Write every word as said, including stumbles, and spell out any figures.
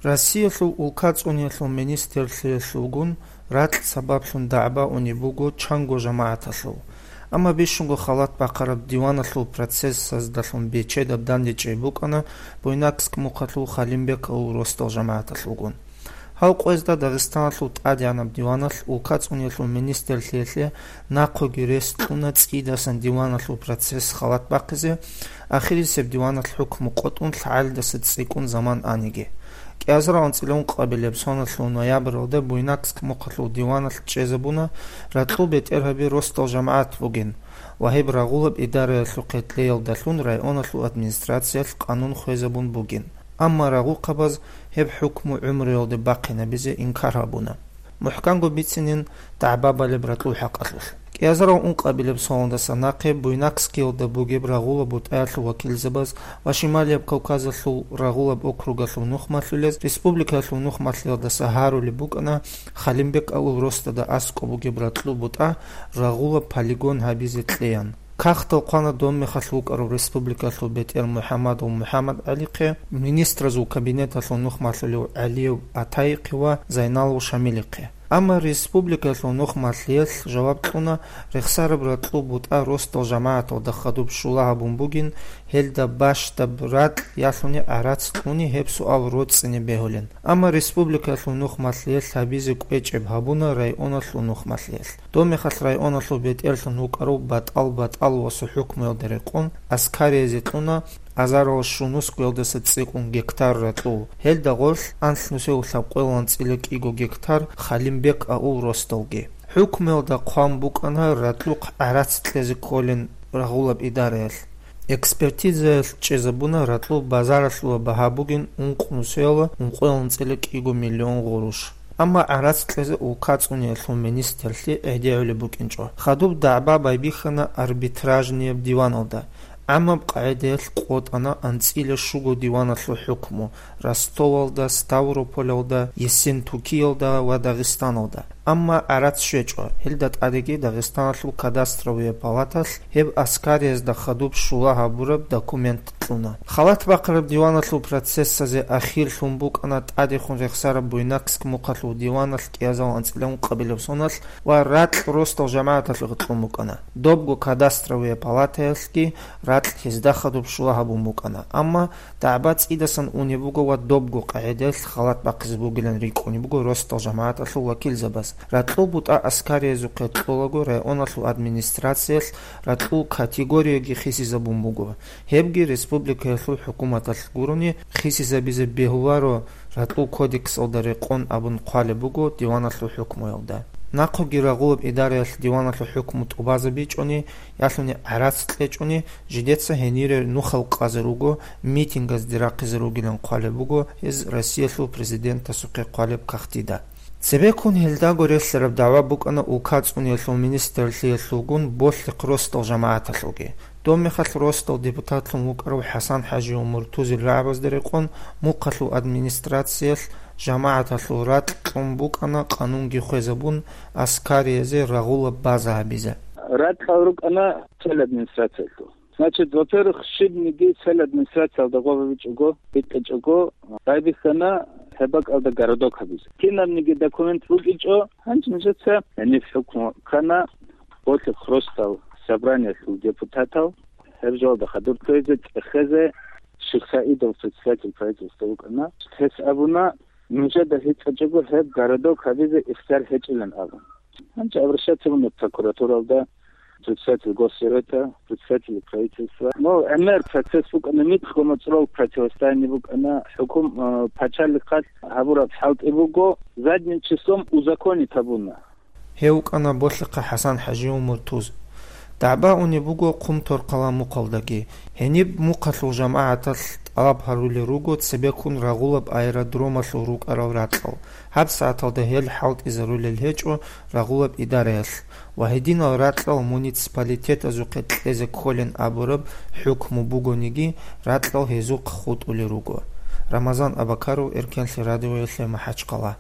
Россиялъул улкацӀуниялъул министрлъиялъулгун ракь сабаблъун дагӀба унеб буго чанго жамагӀаталъул. Амма бищунго халат бахъараб диваналъул процессаздалъун бечедаб дандечӀей букӀана Буйнакск мухъалъул Халимбек авул росдал жамагӀаталъулгун. Гьав къоязда Дагъистаналъул тӀадегӀанаб диваналъ улкацӀуниялъул министрлъиялъе нахъеги рес кьуна цӀидасан диваналъул процесс халат бахъизе, ахирисеб диваналъ хӀукму къотӀун лъагӀалидаса цӀикӀкӀун заман аниги. Кьиазарав анцӀила ункъабилеб соналъул ноябралда Буйнакск мухъалъул диваналъ чӀезабуна ракьул бетӀергьаби росдал жамагӀат бугин ва гьеб рагъулаб идараялъухъе кьеялдалъун районалъул администрациялъ къанун хвезабун бугин. Амма рагъухъабаз гьеб хӀукму гӀумруялде бахъинабизе инкар гьабуна. МухӀканго бицинин дагӀба балеб ракьул хӀакъалъулъ. Кьиазарав ункъабилеб соналдаса нахъе Буйнакскиялда бугеб рагъулаб бутӀаялъул вакилзабаз ва Шималияб Кавказалъул рагъулаб округалъул нухмалъулез республикаялъул нухмалъиялдаса гьарулеб букӀана Халимбек авул росдада аскӀоб бугеб ракьул бутӀа рагъулаб полигон гьабизе кьеян. Кагътал хъвана доб мехалъ вукӀарав республикалъул бетӀер МухӀаммадов МухӀаммадгӀалихъе, министразул кабинеталъул нухмалъулев ГӀалиев Атайихъе ва Зайналов Шамилихъе. Амма республикалъул нухмалъиялъ жаваб кьуна, рехсараб ракьул бутӀа росдал жамагӀаталда хадуб щула гьабун бугин, гьелда бащдаб ракь ялъуни гӀарац кьуни гьеб суал роцӀцӀине бегьулин. Амма республикалъул нухмалъиялъ гьабизе кӀвечӀеб гьабуна районалъул нухмалъиялъ. Доб мехалъ районалъул бетӀерлъун вукӀарав БатӀал БатӀаловасул хӀукмуялда рекъон аскариязде кьуна азарал щунусгоялдаса цӀикӀкӀун гектар ракьул, гьелда гъорлъ анлънусиялъаб къоялда анцӀила кӀиго гектар Халимбек авул росдалги. ХӀукмуялда хъван букӀана ракьулъ гӀарац кьезе кколин рагъулаб идараялъ. Экспертизаялъ чӀезабуна ракьул базаралъула багьа бугин ункънусиялда ункъоялда анцӀила кӀиго миллион гъурущ. Амма гӀарац кьезе улкацӀуниялъул министрлъи гӀедегӀулеб букӀинчӀо. Хадуб дагӀба байбихьана арбитражнияб диваналда. ГӀамаб къагӀидаялъ къотӀана анцӀила щуго диваналъул хӀукму Ростовалда, Ставрополалда, Ессентукиялда ва Дагъистаналда. Амма гӀарац щвечӀо, гьелда тӀадеги Дагъистаналъул кадастровая палаталъ гьеб аскариязда хадуб щула гьабураб документ кьуна. Халат бахъараб диваналъул процессазе ахирлъун букӀана тӀадехун рехсараб Буйнакск мухъалъул диваналъ кӀиазал анцӀила ункъабилеб соналъ ва ракь росдал жамагӀаталъухъе кьун букӀана. Добго кадастровая палатаялъги ракь гьезда хадуб щула гьабун букӀана, амма дагӀба цӀидасан унеб буго ва добго къагӀидаялъ халат бахъизе бугилан рикӀкӀунеб буго росдал жамагӀаталъул вакилзабаз. Ракьул бутӀа аскариязухъе кьолаго районалъул администрациялъ ракьул категорияги хисизабун буго. Гьебги республикаялъул хӀукуматалъ гурони хисизабизе бегьуларо ракьул кодексалда рекъон абун хъвалеб буго диваналъул хӀукмуялда. Нахъеги рагъулаб идараялъ диваналъул хӀукму тӀубазабичӀони, ялъуни гӀарац кьечӀони, жидеца гьенире нухал къазе руго, митингазде рахъизе ругилан хъвалеб буго гьез Россиялъул президентасухъе хъвалеб кагътида. Цебеккун гьелдаго релълъараб дагӀва букӀана улкацӀуниялъул министрлъиялъулгун Болъихъ росдал жамагӀаталъулги. Доб мехалъ росдал депутатлъун вукӀарав ХӀасан-ХӀажиев Муртузил рагӀабазда рекъон мухъалъул администрациялъ жамагӀаталъул ракь кьун букӀана къанунги хвезабун аскариязе рагъулаб база гьабизе. Ракьал рукӀана цел администрациялъул. Значит, во-первых, щибниги цел администрациялда гъобабичӀого, битӀичӀого, байбихьана гьеб бакӀалда городок гьабизе. Кинабниги документ букӀичӀо, гьанже нижеца гьениб хӀукму ккана, Болъихъ росдал собраниялъул депутатал, гьеб жоялда хадур ккезе, цӀехезе, Шихсаидов председатель правительства вукӀана. Гьес абуна, нужеда гьитӀичӀого гьеб городок гьабизе ихтияр гьечӀилан абун. Гьанже обращаться буна прокуратуралда, председатель Госсовета, председатель правительства. Ну, гӀемер процесс букӀана, микьго моцӀрол противостояние букӀана, хӀукум, э, пачалихъалъ гьабураб хӀалтӀи буго, задним числом узаконить гьабуна. Гьев вукӀана Болъихъа ХӀасан-ХӀажиев Муртуз. ДагӀба унеб буго Хъумторхъала мухъалдаги. Гьениб мухъалъул жамагӀаталъ тӀалаб гьарулел руго цебеккун рагъулаб аэродромалъул рукӀарал ракьал. ГьабсагӀаталда гьел хӀалтӀизарулел гьечӀо рагъулаб идараялъ ва гьединал ракьал муниципалитетазухъе кьезе кколин абураб хӀукму бугониги, ракьал гьезухъ хутӀулел руго. Рамазан Абакаров, Эркенлъи радиоялъе МахӀачхъала.